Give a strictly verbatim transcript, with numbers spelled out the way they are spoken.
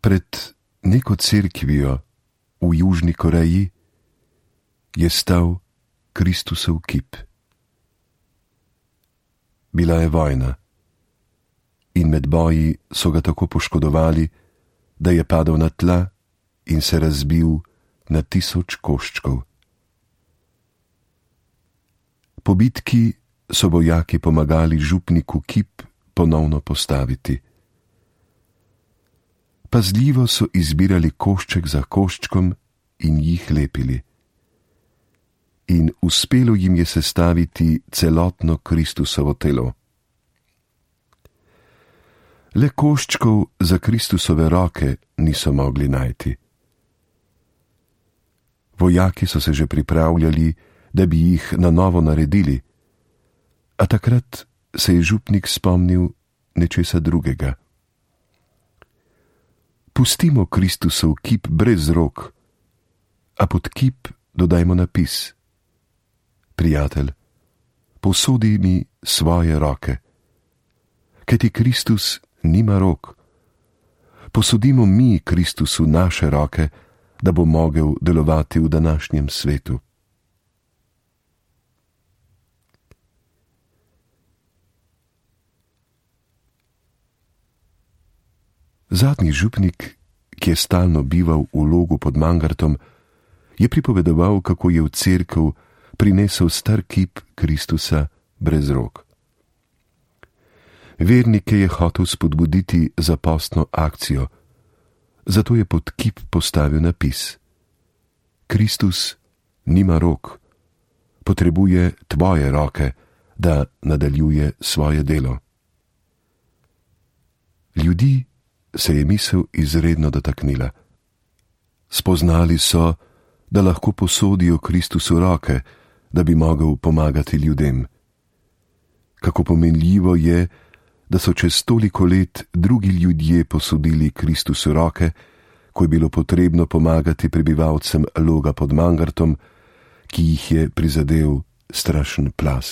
Pred neko cerkvijo v Južni Koreji je stal Kristusov kip. Bila je vojna in med boji so ga tako poškodovali, da je padel na tla in se razbil na tisoč koščkov. Po bitki so vojaki pomagali župniku kip ponovno postaviti. Pazljivo so izbirali košček za koščkom in jih lepili. In uspelo jim je sestaviti celotno Kristusovo telo. Le koščkov za Kristusove roke niso mogli najti. Vojaki so se že pripravljali, da bi jih na novo naredili, a takrat se je župnik spomnil nečesa drugega. Pustimo Kristusov kip brez rok, a pod kip dodajmo napis: Prijatelj, posodi mi svoje roke. Kajti Kristus nima rok. Posodimo mi Kristusu naše roke, da bo mogel delovati v današnjem svetu. Zadnji župnik, ki je stalno bival v Logu pod Mangartom, je pripovedoval, kako je v cerkev prinesel star kip Kristusa brez rok. Vernike je hotel spodbuditi za postno akcijo, zato je pod kip postavil napis: Kristus nima rok, potrebuje tvoje roke, da nadaljuje svoje delo. Ljudi se je misel izredno dotaknila. Spoznali so, da lahko posodijo Kristusu roke, da bi mogel pomagati ljudem. Kako pomenljivo je, da so čez toliko let drugi ljudje posodili Kristusu roke, ko je bilo potrebno pomagati prebivalcem Loga pod Mangartom, ki jih je prizadel strašen plaz.